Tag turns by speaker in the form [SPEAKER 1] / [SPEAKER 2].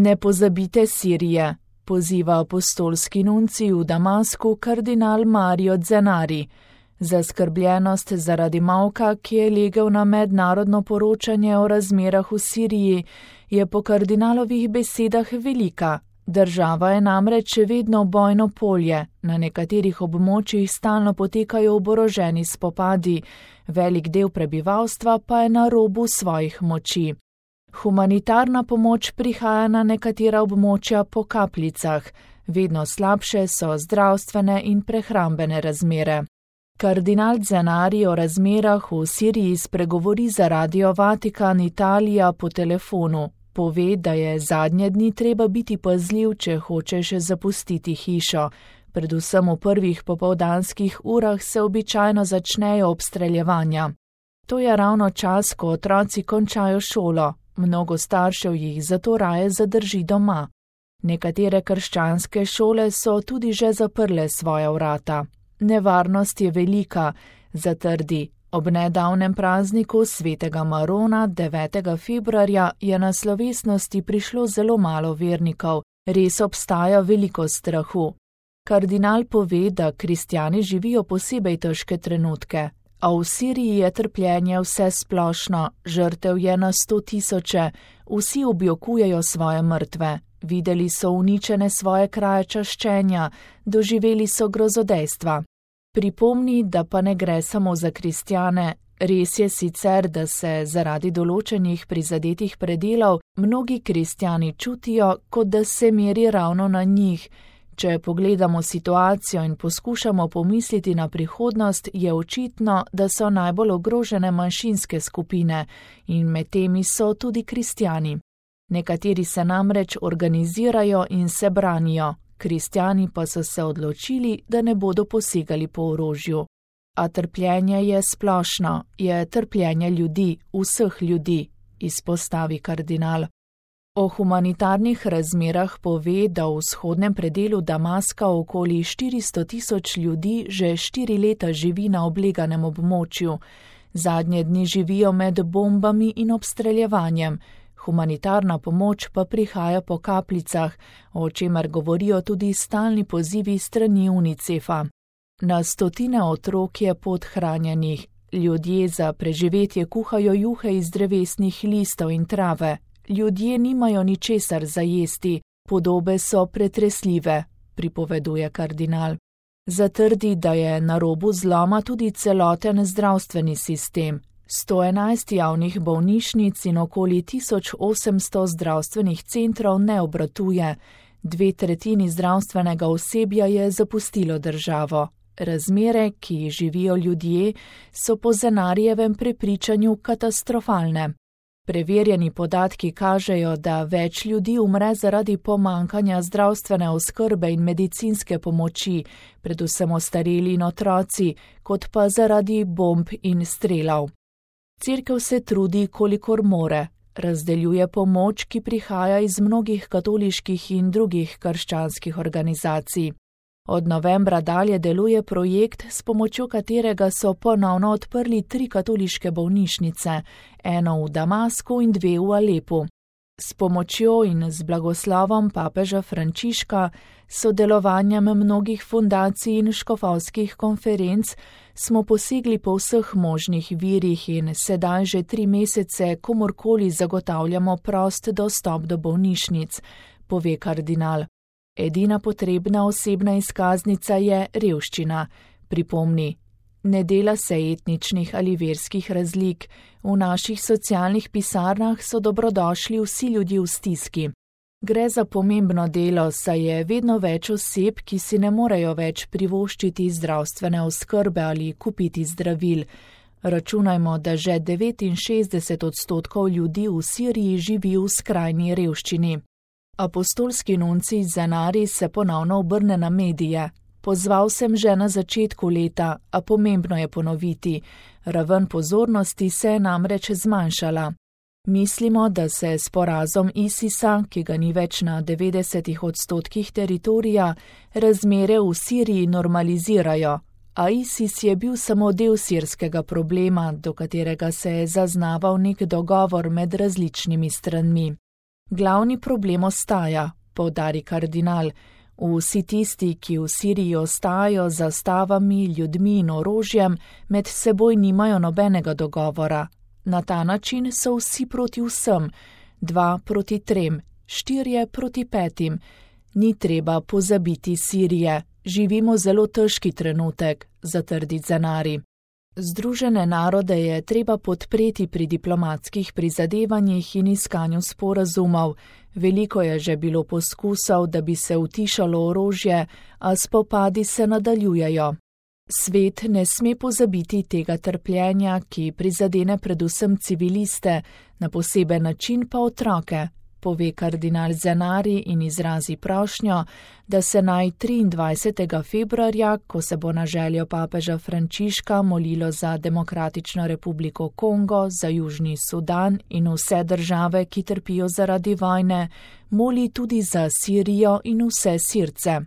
[SPEAKER 1] Ne pozabite Sirije, poziva apostolski nuncij v Damasku kardinal Mario Zenari. Zaskrbljenost zaradi molka, ki je legel na mednarodno poročanje o razmerah v Siriji, je po kardinalovih besedah velika. Država je namreč še vedno bojno polje, na nekaterih območjih stalno potekajo oboroženi spopadi, velik del prebivalstva pa je na robu svojih moči. Humanitarna pomoč prihaja na nekatera območja po kapljicah, vedno slabše so zdravstvene in prehrambene razmere. Kardinal Zenari o razmerah v Siriji spregovori za Radio Vatikan Italija po telefonu. Pove, da je zadnje dni treba biti pazljiv, če hočeš zapustiti hišo. Predvsem v prvih popoldanskih urah se običajno začnejo obstreljevanja. To je ravno čas, ko otroci končajo šolo. Mnogo staršev jih zato raje zadrži doma. Nekatere krščanske šole so tudi že zaprle svoja vrata. Nevarnost je velika, zatrdi. Ob nedavnem prazniku svetega Marona 9. februarja je na slovesnosti prišlo zelo malo vernikov, res obstaja veliko strahu. Kardinal pove, da kristjani živijo posebej težke trenutke, a v Siriji je trpljenje vse splošno, žrtev je na 100 000, vsi objokujejo svoje mrtve, videli so uničene svoje kraje čaščenja, doživeli so grozodejstva. Pripomni, da pa ne gre samo za kristjane. Res je sicer, da se zaradi določenih prizadetih predelov mnogi kristjani čutijo, kot da se meri ravno na njih. Če pogledamo situacijo in poskušamo pomisliti na prihodnost, je očitno, da so najbolj ogrožene manjšinske skupine in med temi so tudi kristjani. Nekateri se namreč organizirajo in se branijo. Kristjani pa so se odločili, da ne bodo posegali po orožju. A trpljenje je splošno, je trpljenje ljudi, vseh ljudi, izpostavi kardinal. O humanitarnih razmerah pove, da v vzhodnem predelu Damaska okoli 400 000 ljudi že 4 leta živi na obleganem območju. Zadnje dni živijo med bombami in obstreljevanjem. Humanitarna pomoč pa prihaja po kapljicah, o čemer govorijo tudi stalni pozivi strani UNICEF-a. Na stotine otrok je podhranjenih, ljudje za preživetje kuhajo juhe iz drevesnih listov in trave, ljudje nimajo ničesar za jesti, podobe so pretresljive, pripoveduje kardinal. Zatrdi, da je na robu zloma tudi celoten zdravstveni sistem. 111 javnih bolnišnic in okoli 1800 zdravstvenih centrov ne obratuje, 2/3 zdravstvenega osebja je zapustilo državo. Razmere, ki jih živijo ljudje, so po Zenarijevem prepričanju katastrofalne. Preverjeni podatki kažejo, da več ljudi umre zaradi pomankanja zdravstvene oskrbe in medicinske pomoči, predvsem ostareli in otroci, kot pa zaradi bomb in strelov. Cerkev se trudi, kolikor more, razdeljuje pomoč, ki prihaja iz mnogih katoliških in drugih krščanskih organizacij. Od novembra dalje deluje projekt, s pomočjo katerega so ponovno odprli 3 katoliške bolnišnice, eno v Damasku in 2 v Alepu. S pomočjo in z blagoslovom papeža Frančiška, sodelovanjem mnogih fundacij in škofovskih konferenc, smo posegli po vseh možnih virih in sedaj že 3 mesece komorkoli zagotavljamo prost dostop do bolnišnic, pove kardinal. Edina potrebna osebna izkaznica je revščina, pripomni. Ne dela se etničnih ali verskih razlik, v naših socialnih pisarnah so dobrodošli vsi ljudje v stiski. Gre za pomembno delo, saj je vedno več oseb, ki si ne morejo več privoščiti zdravstvene oskrbe ali kupiti zdravil. Računajmo, da že 69% ljudi v Siriji živi v skrajni revščini. Apostolski nuncij Zenari se ponovno obrne na medije. Pozval sem že na začetku leta, a pomembno je ponoviti. Raven pozornosti se je namreč zmanjšala. Mislimo, da se s porazom ISIS-a, ki ga ni več na 90% teritorija, razmere v Siriji normalizirajo, a ISIS je bil samo del sirskega problema, do katerega se je zaznaval nek dogovor med različnimi stranmi. Glavni problem ostaja, poudari kardinal. Vsi tisti, ki v Siriji ostajajo z zastavami, ljudmi in orožjem, med seboj nimajo nobenega dogovora. Na ta način so vsi proti vsem, 2 proti 3, 4 proti 5. Ni treba pozabiti Sirije, živimo zelo težki trenutek, zatrdi Zenari. Združene narode je treba podpreti pri diplomatskih prizadevanjih in iskanju sporazumov. Veliko je že bilo poskusov, da bi se utišalo orožje, a spopadi se nadaljujejo. Svet ne sme pozabiti tega trpljenja, ki prizadene predvsem civiliste, na poseben način pa otroke, pove kardinal Zenari in izrazi prošnjo, da se naj 23. februarja, ko se bo na željo papeža Frančiška molilo za Demokratično republiko Kongo, za Južni Sudan in vse države, ki trpijo zaradi vojne, moli tudi za Sirijo in vse Sirce.